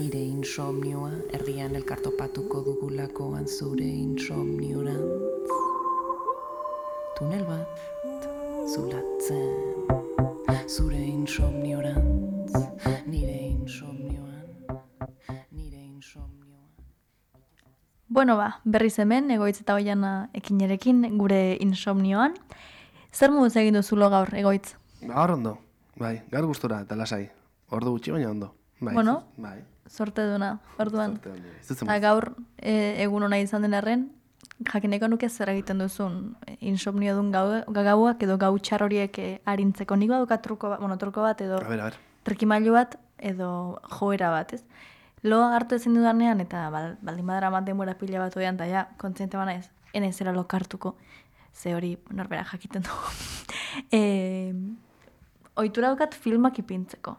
nire insomnioa, erdian elkartopatuko dugulakoan zure insomniorantz. Tunel bat zulatzen, zure insomniorantz, nire insomnioan, nire insomnioan. Bueno berriz hemen, Egoitz eta Oiana ekinerekin, gure insomnioan. Zer moduz egin duzulo gaur, Egoitz? Gaur ondo, bai, gaur gustura eta lasai. Ordu gutxi baina ondo. Bai, Bueno, bai. sorte duna, orduan. Sorte ondo, ez dut Eta zenbait. gaur egun ona izan den arren, jakineko nuke zer egiten duzun insomnio dun gauak edo gau txar horiek arintzeko. Nik badukat truko bat edo A ber. trikimailu bat edo joera bat, ez? Lo hartu ezin dudanean eta baldin badara bat denbora pila bat oian, eta ja, kontziente bana ez, enezera lokartuko, ze hori norbera jakiten dugu. Ohitura daukat filmak ipintzeko.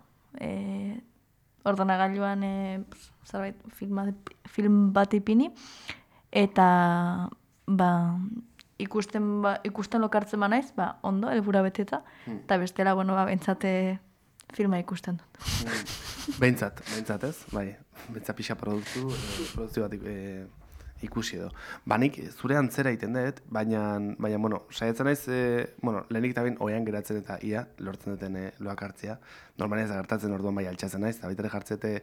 Ordenagailuan zerbait film bat ipini, eta ikusten lokartzen banaiz, ondo, helbura beteta, eta bestela, bentsate filma ikusten dut. Behintzat ez, bai. Behintzat pixa produkzio bat ikusi edo. Nik zure antzera egiten dut, baina, saiatzen naiz, lehenik eta behin oean geratzen eta ia, lortzen duten loak hartzea. Normalia ez da gertatzen orduan bai altxatzen naiz, eta baitare jartzete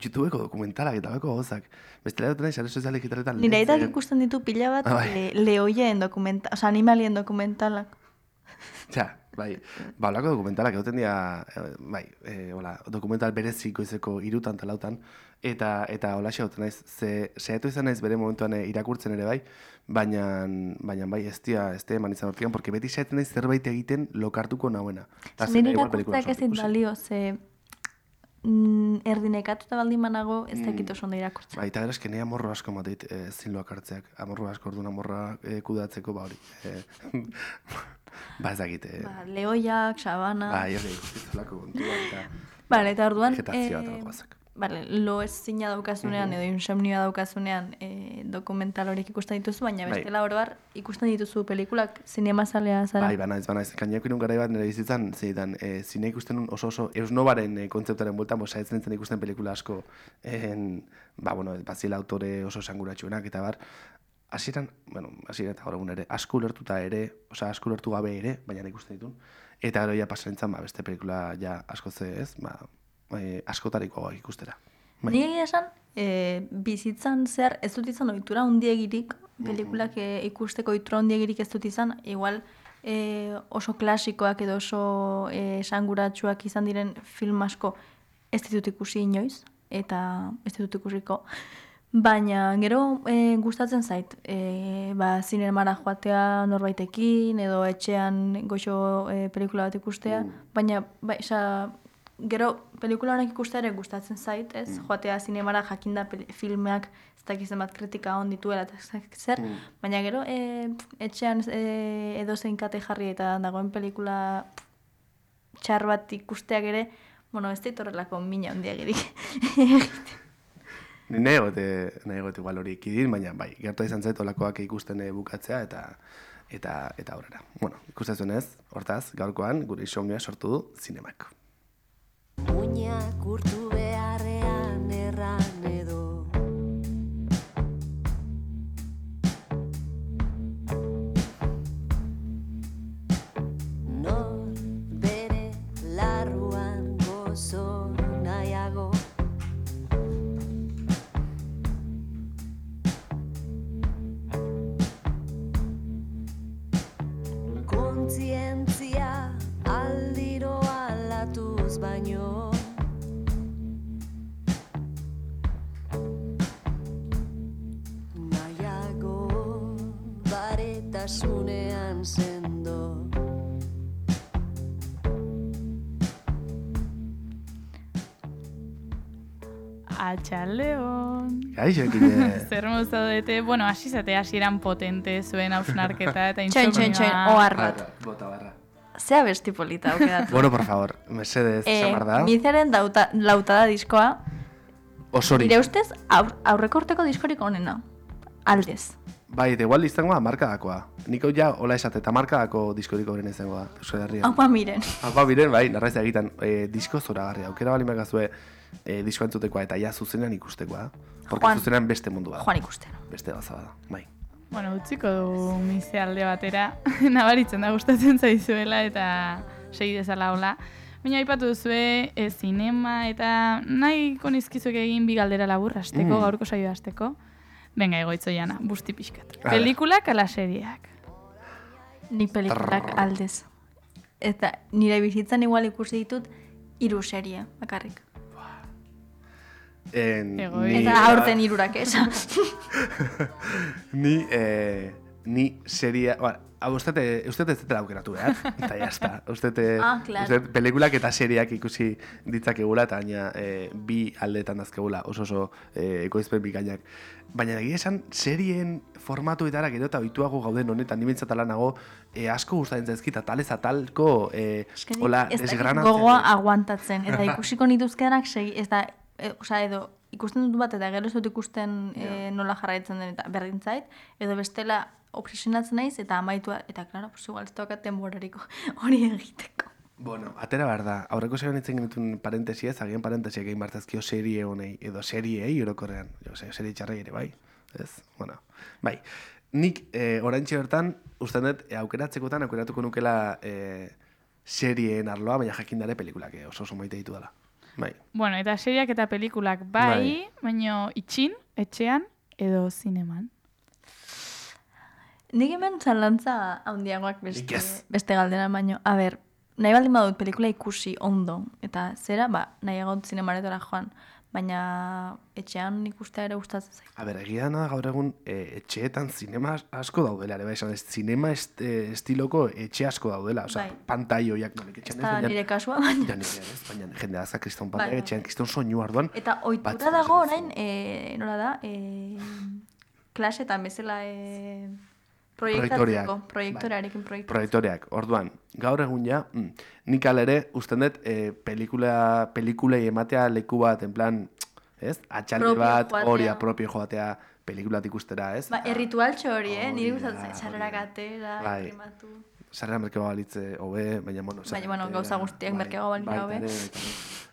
YouTubeko dokumentalak eta bako gozak. Bestela dut naiz, sare sozialik hitaletan. Nire aitak ikusten ditu pila bat lehoien dokumentalak, oza, animalien dokumentalak. Ja, bai, olako dokumentalak egoten dira, dokumental bereziko izeko 3 eta 4, eta holaxe egoten naiz, saiatu izan naiz bere momentuan irakurtzen ere bai, baina bai, ez eman izan hortikan, porque beti saiatzen naiz zerbait egiten lokartuko nahuena. Nire irakurtzeak ezin balio, ze erdinekatuta baldin banago ez dakit oso ondo irakurtzen. Bai, eta gero eske nire amorro asko mateit zin loak hartzeak, amorro asko orduan amorra kudatzeko, hori. Ez dakit. Lehoiak, sabana... Bai, hori ikustizulako kontua eta... Eta orduan... Vegetazioa eta bakoazak. Lo ez zina daukazunean edo insomnioa daukazunean dokumental horiek ikusten dituzu, baina bestela oroar ikusten dituzu pelikulak zinemazalea zara. Bai, banaiz. Kainako inun garai bat nire bizitzan, zeitan, zine ikusten oso eusnobaren kontzeptaren bueltan, saiatzen nintzen ikusten pelikula asko, bazila autore oso esanguratsuenak eta bar, hasieran eta gaur egun ere, asko ulertu gabe ere, baina ikusten ditun, eta gero ja pasarentzan beste pelikula ja asko ez, askotariko ikustera. Ni egia esan, bizitzan zehar ez dut izan ohitura handiegirik, pelikulak ikusteko ohitura handiegirik ez dut izan, igual oso klasikoak edo oso esanguratsuak izan diren film asko ez ditut ikusi inoiz, eta ez ditut ikusiko. Baina gero gustatzen zait, zinemara joatea norbaitekin edo etxean goxo pelikula bat ikustea, baina gero pelikula honek ikustea ere gustatzen zait, ez? Joatea zinemara jakinda filmeak ez dakizen bat kritika hon dituela eta zer, baina gero etxean edo zein kate jarri eta dagoen pelikula txar bat ikusteak ere, ez da itorrelako mina handiagirik. Ni nahi egote igual hori ikidin, baina bai, gertu izan zait olakoak ikusten bukatzea eta aurrera. Ikusten ez, hortaz, gaurkoan gure insomnioa sortu du zinemak. Muinak urtu beharrean erran edo nor bere larruan gozo nahiago kontzientzia aldiro alatuz baino nahiago baretasunean sendo Atxaldeon. Gaixo, ekine. Zer mozaudete, hasi zate hasieran potente zuen hausnarketa eta Txoin, ohar bat. Bota barra. Zea besti polita aukeratu. Bueno, por favor, mesedez, zamar da. Mizaren lautada diskoa, Osorik. nire ustez aurrekorteko diskorik onena. Aldez. Bai, eta igual izango da markadakoa. Niko ja hola esate, eta markadako diskorik horren izango da, Euskal Herrian. Aupa miren. Aupa miren, bai, narraiz egiten disko zoragarria. Aukera bali makazue, diskoa entzutekoa eta ja zuzenean ikustekoa. Porque Juan. zuzenean beste mundu bat. Joan ikusten. Beste gauza bada, bai. Bueno, utziko du mize alde batera, nabaritzen da gustatzen zaizuela eta segi dezala hola. Baina aipatu duzue zinema eta nahiko nizkizuek egin bi galdera labur hasteko, gaurko saioa hasteko. Venga, egoitzo jana, busti pixkat. A ver. Pelikulak ala serieak? Nik pelikulak aldez. Eta nire bizitzan igual ikusi ditut 3 serie, bakarrik. Egoitza. Eta aurten 3 esan. Ni seria... Usted ez dutela aukeratu behar, eta jazta. Usted pelikulak eta seriak ikusi ditzakegula, eta baina bi aldeetan dazkegula, oso ekoizpen bikainak. Baina egia esan, serien formatuetara gero eta oituago gauden honetan, ni bintzatala nago, asko gustatzen zaizkit, atalez atalko, hola, Ez dakit desgranatzen. gogoa aguantatzen, eta ikusiko nituzkenak segi, ez da, edo ikusten dut bat, eta gero ez dut ikusten nola jarraitzen den, eta berdin zait, edo bestela obsesionatzen naiz, eta amaitua, eta klaro, pues igual ez daukat denborariko hori egiteko. Bueno, atera behar da, aurreko zegoen itzen genituen parentesiez, agian parentesiak egin bartazkio serie honei, edo seriei orokorrean, serie txarrei ere, bai, ez? Bueno, bai, nik oraintxe bertan, uste dut, aukeratzekotan, aukeratuko nukela serien arloa, baina jakindare pelikulak oso maite ditu dela. Bai. Bueno, eta seriak eta pelikulak bai, baina itxin, etxean, edo zineman. Nik hemen zalantza handiagoak Nik ez. beste galdera baino. A ber, nahi baldin badut pelikula ikusi ondo, eta zera, nahiago zinemaretara joan, baina etxean ikustea ere gustatzen zait. A ber, egia da gaur egun etxeetan zinema asko daudela, ere bai, esan ez, zinema estiloko etxe asko daudela, osea, Bai. pantaioiak nolik Ez etxean da baina... nire kasua, baina. Ja, nire ez, baina jende azka kriston Bai, pantaia, bai. etxean kriston soinu arduan. Eta ohitura batzuk dago esan orain, nola da, klasetan bezala Proiektoriak. proiektorearekin proiektatzeko. Proiektoreak, orduan, gaur egun ja, nik alere, usten dut, pelikulei ematea leku bat, en plan, ez? Atxalde Propio bat, joatea. hori apropio joatea pelikulat ikustera, ez? Erritualtxo hori, nire Hori da, gustatzen zait, sarrerak atera, Bai. krematu. Sarrera merkeba balitze hobe, baina, bueno... Baina, bueno, gauza guztiak merkeago balira hobe.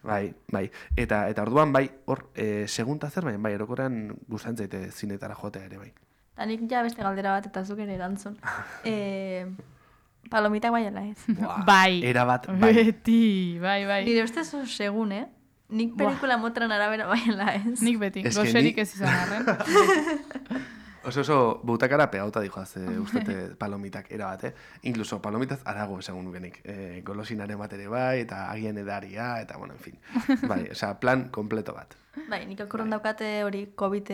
Bai. Eta orduan, bai, hor, segunta zer, baina, bai, erokorrean gustatzen zaite zinetara joatea ere, bai. Eta nik ja beste galdera bat eta zuk ere erantzun. Palomitak bai ala ez. Bai. Erabat, bai. Beti, bai. Nire ustez oso segun, Nik pelikula motran arabera bai ala ez. Nik beti, Ez que goserik ni- ez izan arren. Oso butakara pegauta dijoaz ustete palomitak erabat, Incluso palomitaz arago esagun nukenik. Golosinaren bat ere bai, eta agian edaria, eta, bueno, en fin. Bai, osea, plan kompleto bat. Bai, nik akorron daukate hori COVID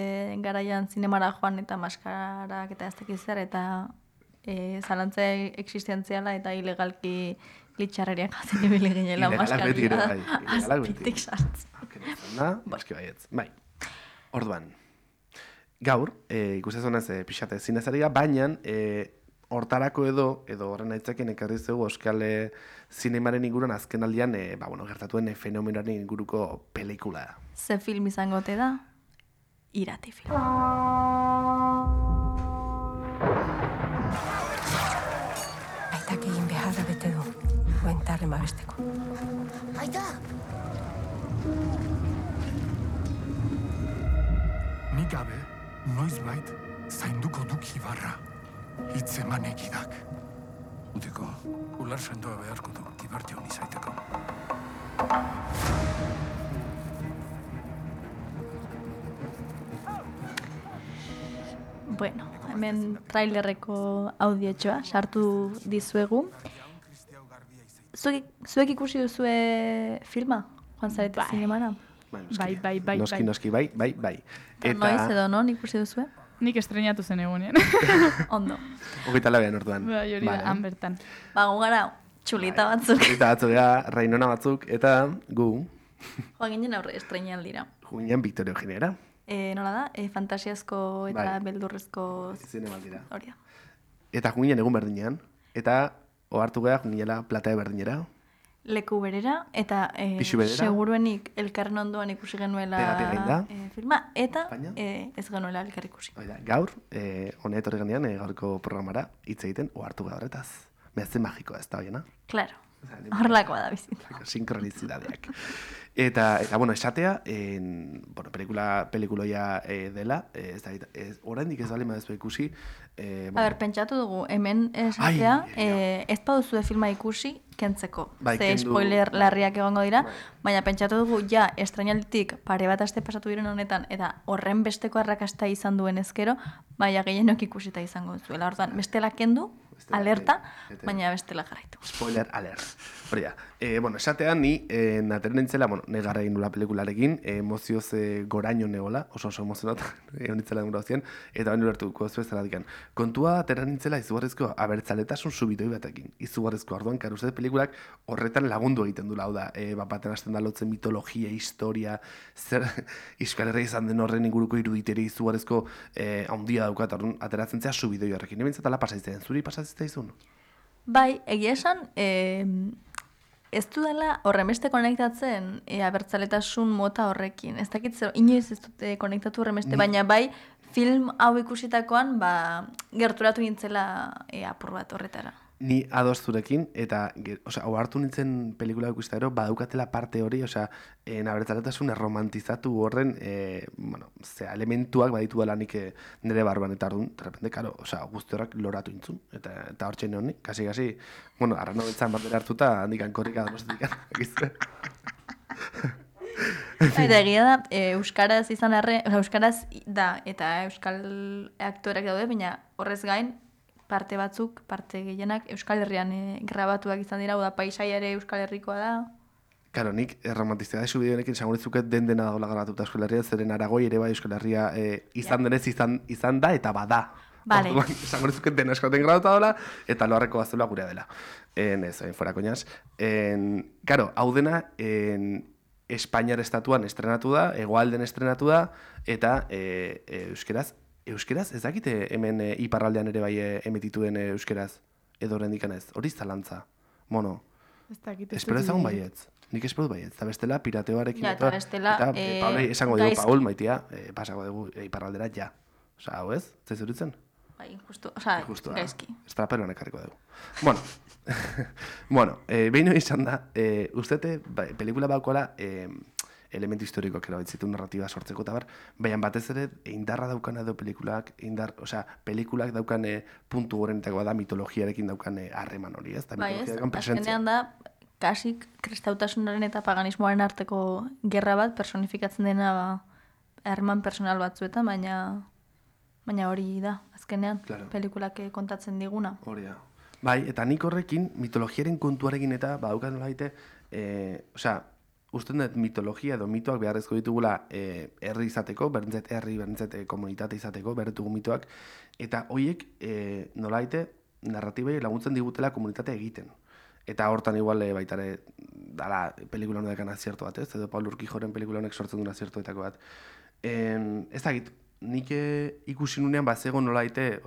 garaian zinemara joan eta maskarak eta ez dakiz zer, eta zalantza existentziala eta ilegalki glitxarreriak jaten ibili ginela Ilegalak beti ere, maskarilla. bai, ilegalak beti. Azpitik sartzen. Da, baski baietz. Bai. Orduan, gaur, ikustezunez pixate zinezariga, baina hortarako edo horren aitzakin ekarri zego euskal zinemaren inguruan azken aldian, gertatuen fenomenoaren inguruko pelikula da. Ze film izangote da? Irati film. Aitak egin beharra bete du, buentarren babesteko. Aita! Nik gabe, noizbait, zainduko duk Ibarra. Hitz eman egidak. Utiko, ular sendoa beharko du, Ibarte honi zaiteko. Bueno, hemen trailerreko audiotxoa sartu dizuegu. Zuek ikusi duzue filma? Joan zarete Bai. zinemara? Bai. Noski, bai. Noiz edo non ikusi duzue? Nik estrenatu zen egunean. Ondo. Hogeita labean orduan. Bai, hori da, han bertan. Bago gara, txulita batzuk. Eta batzuk Rainona batzuk, eta gu, Joan ginen aurre estrenean dira. juinean Victoria Eugenera. Nola da? Fantasiazko eta Bai. beldurrezko Zinemaldira. hori da. Eta juinean egun berdinean, eta ohartu gara juinela platea berdinera. Leku berera, eta Pisu berera. seguruenik elkarren ondoan ikusi genuela Terapia eginda. filma, eta Baina? ez genuela elkar ikusi. Oida, gaur, hone etorri ganean, gaurko programara hitz egiten ohartu gara horretaz. Behatzen magikoa ez da hoiena. Claro. Horrelakoa da bizitza. Sinkronizitateak. Eta bueno, esatea, bueno, pelikuloia dela, oraindik ez bali madezu ikusi. A ber, pentsatu dugu, hemen esatea, ez baduzue filma ikusi, kentzeko. Bai, Ze kendu. spoiler larriak egongo dira, baina pentsatu dugu, ja, estrainalditik pare bat aste pasatu diren honetan, eta horren besteko arrakasta izan duen ezkero, baina gehienok ikusita izango zuela. Orduan, bestela kendu, alerta, baina bestela jarraitu. Spoiler alert. Hori da. Bueno, esatean ni nateren nintzela, bueno, negarra egin nula pelikularekin, emozioz goraino negola, oso emozionat, egon nintzela denbora hozien, eta baino lertuko zu ez zaradikan. Kontua ateren nintzela izugarrizko abertzaletasun subitoi batekin. Izugarrizko arduan, kar uste pelikulak horretan lagundu egiten dula, hau da, baten hasten da lotzen mitologia, historia, zer Euskal Herria izan den horren inguruko iruditeri izugarrizko handia daukat, orduan ateratzen zea subitoi horrekin. Nebintzat ala pasaitzen, zuri pasaitzen izun? Bai, egia esan, ez du dela horremeste konektatzen abertzaletasun mota horrekin. Ez dakit zer, inoiz ez dut konektatu horremeste, baina bai film hau ikusitakoan gerturatu nintzela apur bat horretara. Ni ados zurekin, eta hau hartu nintzen pelikula ikusita ero, badaukatela parte hori, abertzaletasun erromantizatu horren, bueno, elementuak baditu dela nik nire barban, eta orduan, de repente, karo, guzti horrak loratu intzun, eta hor txene honi, kasi, bueno, arrano betzan bat bere hartuta, handikan korrika donostikan, egizte. Eta egia da, euskaraz izan euskaraz da, eta euskal aktoreak daude, baina horrez gain, parte gehienak Euskal Herrian grabatuak izan dira, da paisaia ere Euskal Herrikoa da. Karo, nik erromantiztea da subidionekin esangoritzuket dena dagoela grabatuta Euskal Herria, zeren Aragoi ere bai Euskal Herria izan denez izan da eta bada. Vale. Esangoritzuket dena eskoten grabatuta dola, eta loarreko bazela gurea dela. Ez, fuera koñaz. Karo, hau dena Espainiar estatuan estrenatu da, Hegoalden estrenatu da, eta Euskeraz, ez dakite hemen iparraldean ere bai emitituen euskeraz, edo horrendikan ez, hori zalantza, mono. Ez dakit. Espero ezagun baietz, nik espero baietz, eta bestela pirateoarekin. Ja, eta bestela, Paulei esango dugu, Paul, maitia, pasako dugu iparraldera, ja. Osa, hau ez, zezuritzen? Bai, justu, gaizki. Estraperoan ekarriko dugu. Bueno, behin izan da, ustete, pelikula baukola, elementu historikoak erabiltzitu narratiba sortzeko eta baina batez ere indarra daukan edo pelikulak, pelikulak daukan puntu gorenetakoa da mitologiarekin daukan harreman hori, ez? Bai ez, azkenean da, kasik kristautasunaren eta paganismoaren arteko gerra bat personifikatzen dena harreman personal batzuetan, baina hori da, azkenean, pelikulak kontatzen diguna. Hori da. Bai, eta nik horrekin, mitologiaren kontuarekin eta badaukan nola daite, usten dut mitologia edo mitoak beharrezko ditugula herri izateko, berdintzet herri, berdintzet komunitate izateko, berretugu mitoak, eta horiek nola daite narratibai laguntzen digutela komunitatea egiten. Eta hortan igual baitare dala pelikula honetan azierto bat, ez? Edo Paul Urquijoren pelikula honek sortzen duen aziertoetako bat. Ez dakit, nik ikusi nunean bazego nola daite,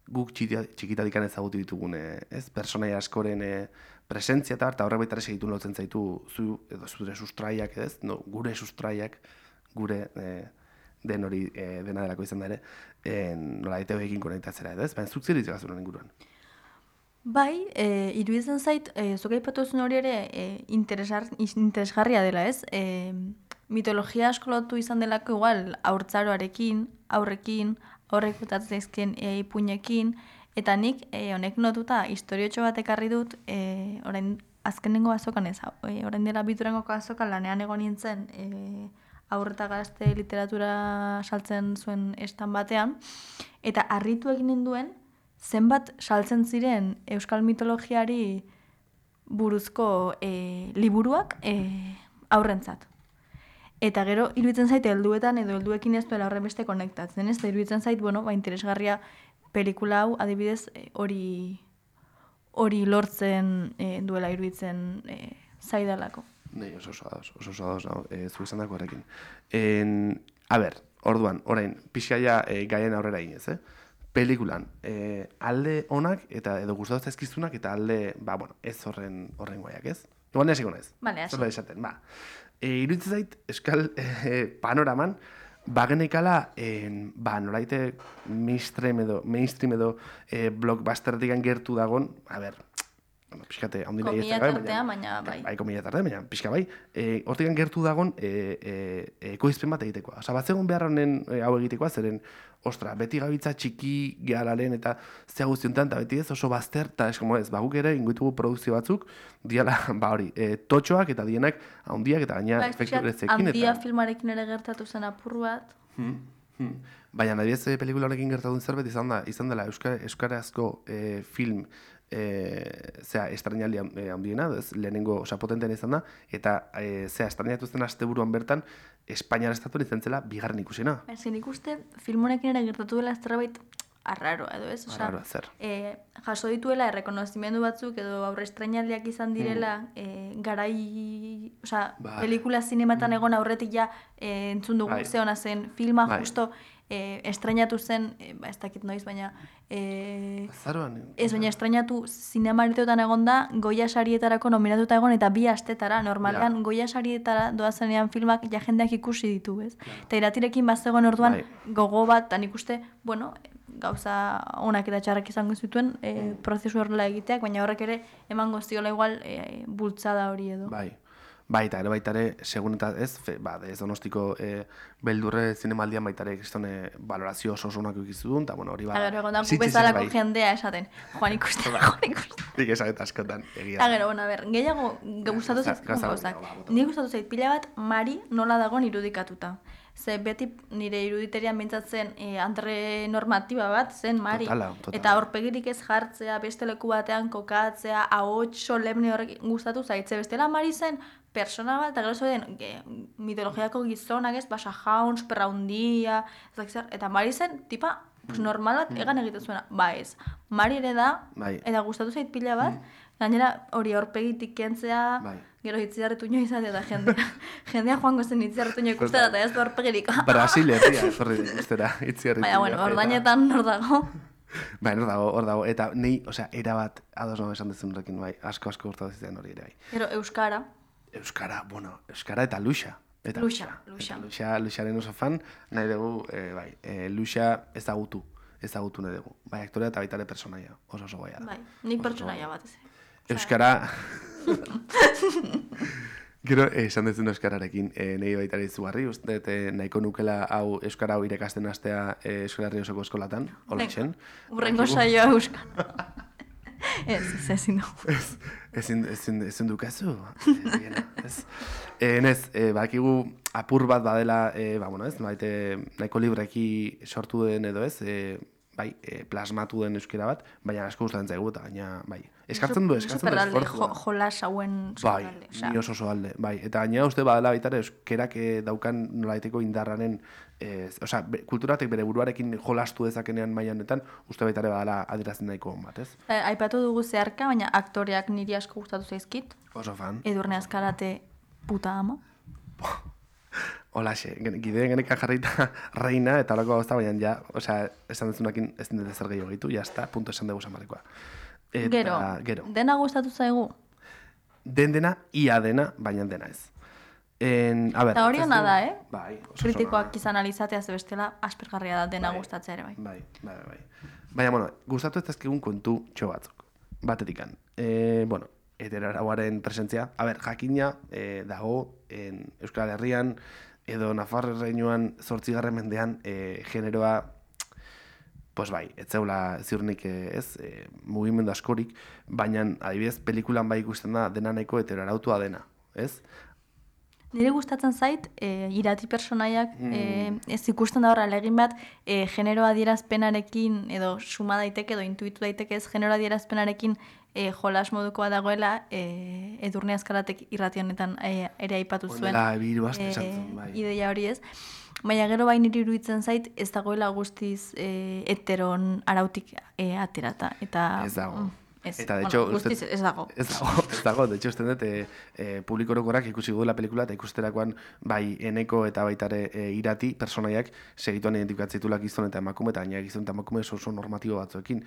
guk txikitadikan ezagutu ditugun, ez? Personaia askoren presentzia eta horrek baitare segitun lotzen zaitu zure sustraiak, ez? No, gure sustraiak, gure den hori dena delako izan da ere, nola daite horrekin konektatzera, ez? Baina zuk zer ditzak zuen inguruan? Bai, iruditzen zait, zuk aipatu zuen hori ere interesgarria dela, ez? Mitologia asko lotu izan delako igual haurtzaroarekin, aurrek utatzen zaizkien ipuinekin, eta nik honek notuta historiotxo bat ekarri dut, orain azkenengo azokan ez, orain dela biturengo azokan lanean egon nintzen haur eta gazte literatura saltzen zuen estan batean, eta harritu egin ninduen zenbat saltzen ziren euskal mitologiari buruzko liburuak aurrentzat. Eta gero, iruditzen zait, helduetan edo helduekin ez duela horrenbeste konektatzen, ez? Da iruditzen zait, interesgarria pelikula hau, adibidez, hori lortzen duela iruditzen zaidalako. Nei, oso ados, zu izan dako horrekin. A ber, orduan, orain, pixkaia gaien aurrera inez, pelikulan, alde onak eta edo gustatu zaizkizunak eta alde, ez horren guaiak, ez? Igual nesiko naiz. Bale, hasi. Zorla esaten, iruditzen zait, euskal panoraman, bagenekala, nolaite mainstream edo blockbustertik gertu dagon, bueno, pixkate, haundina Komila tartean, baina bai. Bai, komila tartean, baina pixka bai. Hortikan gertu dagon ekoizpen bat egitekoa. Osa, bat zegoen behar honen hau egitekoa, zeren, ostra, beti gabiltza txiki gehalaren eta zea guztiontan, eta beti ez oso bazter, eta eskomo ez, baguk ere inguitugu produkzio batzuk, diala, ba hori, totxoak eta dienak haundiak eta gaina efekturezekin. Handia filmarekin ere gertatu zen apur bat. Baina, adibidez, pelikula honekin gertatu zerbait izan dela euskarazko film estrenaldi handiena, lehenengo potentean izan da, eta estrenatu zen asteburuan bertan, Espainiar estatuan izan zela bigarren ikusena. Ez nik uste, film honekin ere gertatu dela zerbait arraro, edo ez? Arraro, zer. Jaso dituela errekonozimendu batzuk edo aurre estrenaldiak izan direla garai, pelikula zinematan egon aurretik ja entzun dugu ze ona zen filma, justo estrenatu zen, ez dakit noiz, baina baina estrenatu zinemaritoetan egon da, Goya sarietarako nominatuta egon eta 2 astetara, normalean Goya sarietara doazenean filmak ja jendeak ikusi ditu, ez? Eta iratirekin bazegoen orduan gogo bat, eta nik uste, bueno, gauza onak eta txarrak izango zituen prozesu horrela egiteak, baina horrek ere emango ziola igual bultzada hori edo. Baita ere, segun eta ez, ez Donostiko beldurre zinemaldian baita ere kristone valorazio oso onak ikizu duen, eta bueno, hori ba... Eta gero, bezalako jendea esaten, joan ikusten. Nik esatet askotan, egia. Eta gero, gehiago gustatu zait gauzak. Nik gustatu zait pila bat, Mari nola dagoen irudikatuta. Ze beti nire iruditerian bintzatzen andre normatiba bat zen Mari. Totala. Eta aurpegirik ez jartzea, beste leku batean kokatzea, ahots solemne horrek gustatu zaitze. Bestela Mari zen persona bat, eta gero zoden mitologiako gizonak ez, basa jauns, perra hundia, eta Mari zen tipa normal bat egan egiten zuena. Ba ez, Mari ere da, eta gustatu zait pila bat, gainera hori aurpegitik kentzea, gero hitziarretuño izate eta jendea joango zen hitziarretuño ikustera eta ez du aurpegirik. Brasil herria, zorri ikustera hitziarretuño. Baina, bueno, ordainetan hor dago. Bai, hor dago, eta nei, erabat ados no esan dezun horrekin, bai, asko gustatu zitzen hori ere, bai. Gero, Euskara eta Luxa. Luxaren oso fan, nahi dugu, Luxa ezagutu nahi dugu. Bai, aktorea eta baita ere personaia, oso goia da. Bai, nik personaia bat ez. Euskara... Gero, esan dezun euskararekin, nahi baita ere izugarri, uste nahiko nukela hau euskara hau irekasten hastea Euskal Herri osoko eskolatan, hola isen. Urrengo saioa euskara. Ezin dugu. Ezin dukazu. Nez, bakigu apur bat badela, nahiko libreki sortu den edo ez, plasmatu den euskera bat, baina asko gustatzen zaigu eta gaina, eskartzen du esfortzua. Jolas hauen superalde. Ni oso alde, eta gaina uste badala baita euskerak daukan nolaiteko indarraren, kulturatek bere buruarekin jolastu dezakenean mailanetan, uste baita ere badala adierazten nahiko bat, ez? Aipatu dugu zeharka, baina aktoreak niri asko gustatu zaizkit. Oso fan. Edurne Azkarate puta ama. Holaxe, gideen genekan jarrita reina eta horako gauza, baina esan dezunakin ez dut zer gehiago gitu, jazta, punto esan dugu zamarrekoa. Gero, dena gustatu zaigu? Dena, ia dena, baina dena ez. Eta hori hona da, Bai. Kritikoak izan alizatea bestela aspergarria da dena gustatzea ere, bai. Bai. Baina, gustatu ez dazkegun kontu txo batzuk. Batetikan. Heteroarauaren presentzia. Jakina dago Euskal Herrian edo Nafarreinuan 8. mendean generoa ez zeula ziurnik mugimendu askorik, baina adibidez pelikulan bai ikusten da dena nahiko heteroarautua dena, ez? Nire gustatzen zait, irati personaiak ez ikusten da horra legin bat genero adierazpenarekin edo suma daiteke edo intuitu daiteke ez genero adierazpenarekin jolas modukoa dagoela Edurne Azkaratek irrati honetan ere aipatu zuen ideia hori ez. Baina gero bain niri iruditzen zait ez dagoela guztiz heteron arautik aterata. Ez dago. Eta, de hecho, ez dago. Ez dago, de hecho, uste dut, publiko orokorrak ikusi duela pelikula eta ikusterakoan bai eneko eta baitare irati personaiak segituan identifikatzitulak gizon eta emakume, eta gaina gizon eta emakume oso normatibo batzuekin.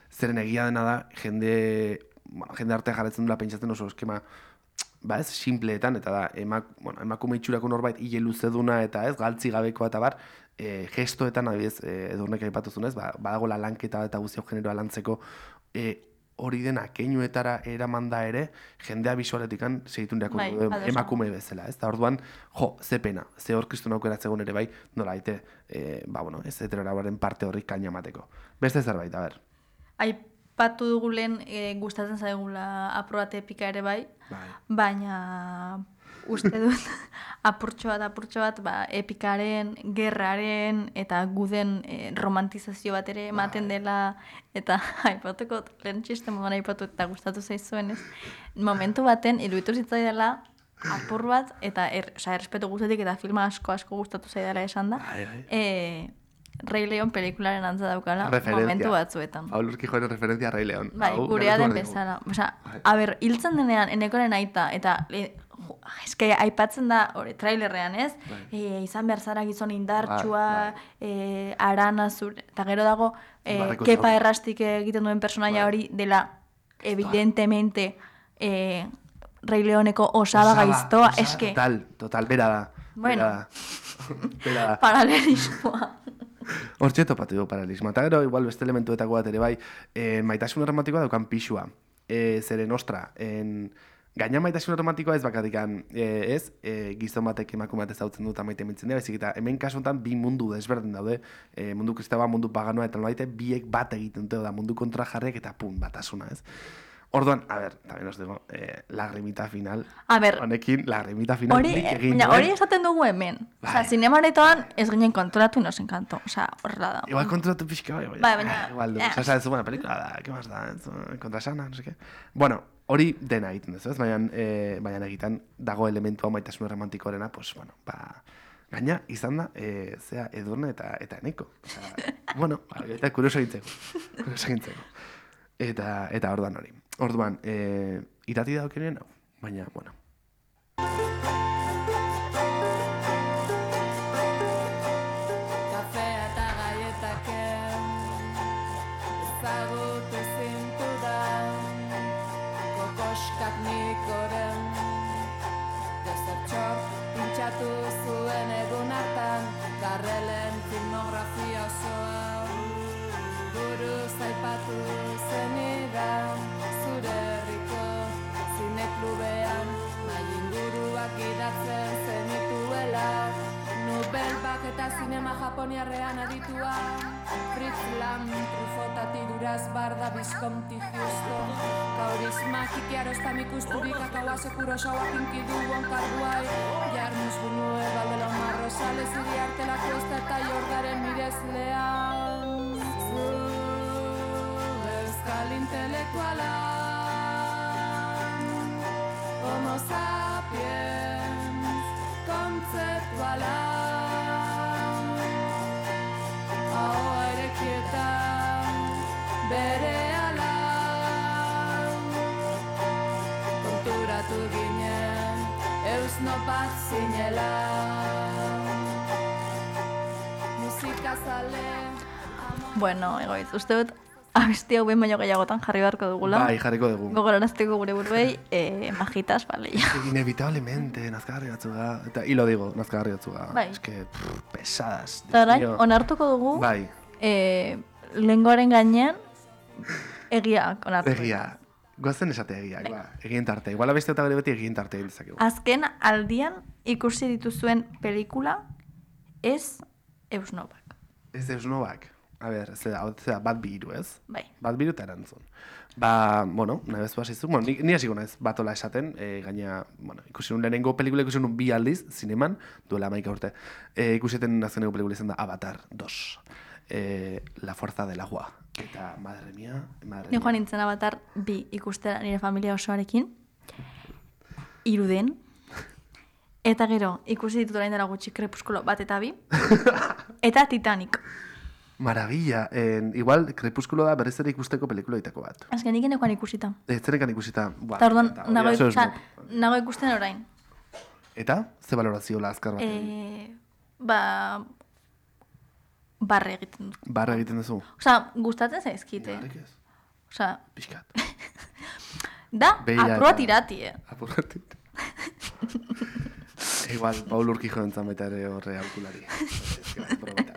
Zeren egia dena da, jende artea jarretzen dula pentsatzen oso eskema, ez, simpleetan, eta da, emakume itxurako norbait hile luzeduna eta ez, galtzi gabekoa eta bar, gestoetan, adibidez, Edurnek aipatu zunez, badagoela lanketa eta guztio generoa lantzeko hori dena keinuetara eramanda ere, jendea bisualetikan segitun Bai, ados emakume bezala, ez? Da orduan, ze pena, ze hor kristun aukeratzen ere bai, nola aite, ez heteroaren parte horrik kaina emateko. Beste zerbait, a ber. Aipatu dugu lehen gustatzen zaigula aprobate epika ere bai, baina uste dut apurtxo bat, epikaren, gerraren eta guden romantizazio bat ere ematen dela, eta aipatuko, lehen txiste moduan aipatu eta gustatu zaizuen ez, momentu baten iruditu zitzaidala apur bat, eta errespetu guztetik eta filma asko gustatu zaidala esan da, Rei Leon pelikularen antza daukala momentu batzuetan. Paul Urquijoren referentzia Rei Leon. Bai, gurea den bezala. Hiltzen denean, enekoren aita, eta eske aipatzen da trailerrean, ez? Izan behar zara gizon indartsua, arana zure, eta gero dago, kepa errastik egiten duen personaia hori dela, evidentemente, Rei Leoneko osaba gaiztoa, eske... Total, bera da. Bueno, paralelismoa. Hortxe topatu du paralelismoa. Eta gero, igual beste elementuetako bat ere bai, maitasun romantikoa daukan pixua. Zeren, ostra, gaina maitasun romantikoa ez bakatikan, gizon batek emakume bat ezautzen dut maite mintzen dira, bezik eta hemen kasuntan bi mundu desberdin daude, mundu kristaba, mundu paganoa, eta nolaite biek bat egiten dute da mundu kontra jarrek eta batasuna, ez? Orduan, a ber, también os digo, lagrimita final. A ber, honekin, lagrimita final. Hori esaten dugu hemen. Osa, zinemaretoan ez ginen kontrolatu y nos encantó. Osa, horrela da. Igual kontrolatu pixka, baina... Igual, osa, ez buena pelikula da, ¿qué más da? Kontrasana, no sé qué. Bueno, hori dena egiten duzu, ez? Baina egiten dago elementua maitasun romantikoarena, pues, bueno, gaina, izan da, zea, Edurne eta Eneko. Bueno, eta kurioso egintzeko. Eta orduan hori. Orduan, irati daukenien hau, baina, bueno. Kafea eta gaietaken ezagut ezintu da kokoskak nikoren dezertxor pintxatu zuen egun hartan Garrelen filmografia osoa buruz aipatu zenidan zure herriko zineklubean nahi inguruak idatzen zenituela Nobelbak eta zinema japoniarrean aditua Fritz Lang, Trufotati, Duraz, Barda, Visconti, Houston Kaurisma, Kikiarosta, Mikusturik, Akawase, Kurosawa, Kinkidu, Wonkarguai Jarmus, Bunue, Valdelomar, Rosales, Iriarte, La Cuesta eta Jordaren mirezlean Euskal intelektuala Homo sapiens kontzeptuala Ahoa erekietan berehala Konturatu ginen eusno bat zinela Musikazale Bueno, egoiz, uste dut abesti hau behin baino gehiagotan jarri beharko dugula. Bai, jarriko dugu. Gogorarazteko gure buruei, majitas, bale, ya. Inevitablemente, nazkagarri batzu da. Eta hilo digo, nazkagarri batzu da. Bai. Es que, pesadas. Eta orain, onartuko dugu, bai. lengoaren gainean, egia onartuko. Egia. Goazen esate egia, egin tarte. Igual abeste eta bere beti egin tarte egin dezakegu. Azken aldian ikusi dituzuen pelikula ez Eusnobak. Ez Eusnobak. A ber, zera, bat bihiru, ez? Bai. Bat bihiru eta erantzun. Bueno, nahi bezu hasizuk, bueno, ni hasiko naiz batola esaten, gaina, bueno, ikusi nun lehenengo pelikula ikusi nun 2 aldiz, zineman, duela 11 urte. Ikusiten azkeneko pelikula izan da Avatar 2. La fuerza del agua. Eta, madre mía. Ni joan nintzen Avatar 2 ikustera nire familia osoarekin. Iruden. Eta gero, ikusi ditut orain dela gutxi Crepúsculo 1 eta 2. Eta Titanic. Maravilla. Igual, Crepúsculo da berriz ere ikusteko pelikula ditako bat. Azkenik enekoan ikusita. Zenekan ikusita. Eta orduan, nago ikusten orain. Eta? Ze valorazio la azkar bat? Barre egiten dut. Barre egiten duzu? Osa, gustatzen zaizkite. Barrik ez? Osa... Piskat. Da, apurua tirati, Apurua tirati. Igual, Paul Urquijo entzan baita ere horre alkulari.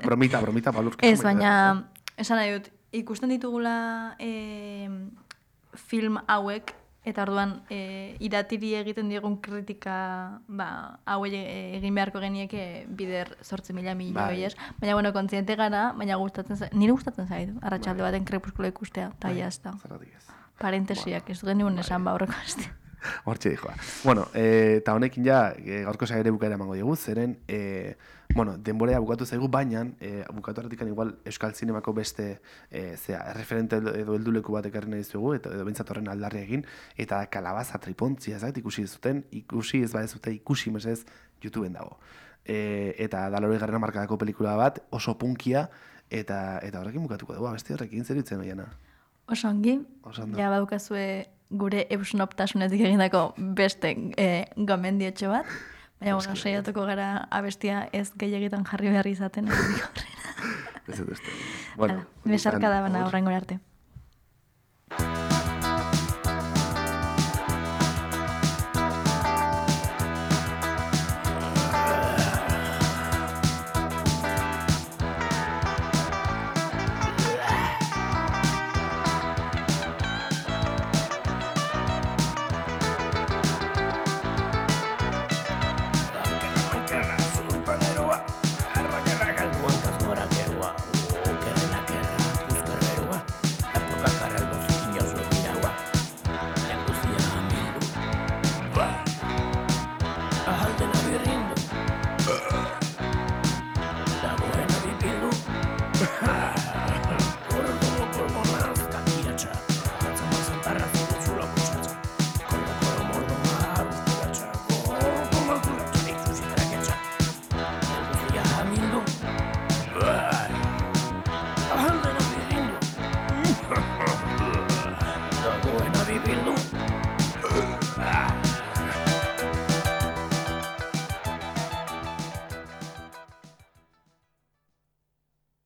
Bromita, Paul Urquijo. Ez, baina, esan nahi dut, ikusten ditugula film hauek, eta orduan iratiri egiten diegun kritika hauei egin beharko genieke bider 8.000 milioi, ez? Baina, bueno, kontziente gara, baina nire gustatzen zait, arratsalde baten krepuskula ikustea, eta jazta. Parentesiak, ez duen nigun esan aurreko astea. Hortxe dijoa. Bueno, eta honekin ja, gaurko saire bukaera emango digu, zeren, denborea bukatu zaigu, baina bukatu artikan igual Euskal Zinemako beste referente edo helduleku bat ekarri nahi dizugu, edo bintzat horren aldarri egin, eta Kalabaza tripontzia, ikusi ez badezute, ikusi mesez YouTubeen dago. Eta da 80. hamarkadako pelikula bat, oso punkia, eta horrekin bukatuko dugu, beste horrekin zer ditzen oiana. Oso ongi, ja badukazue gure eusnoptasunetik egindako beste gomendiotxo bat, baina bueno, saiatuko gara abestia ez gehiagitan jarri behar izaten. Ez dut. Bueno, besarka da bana horrengo arte.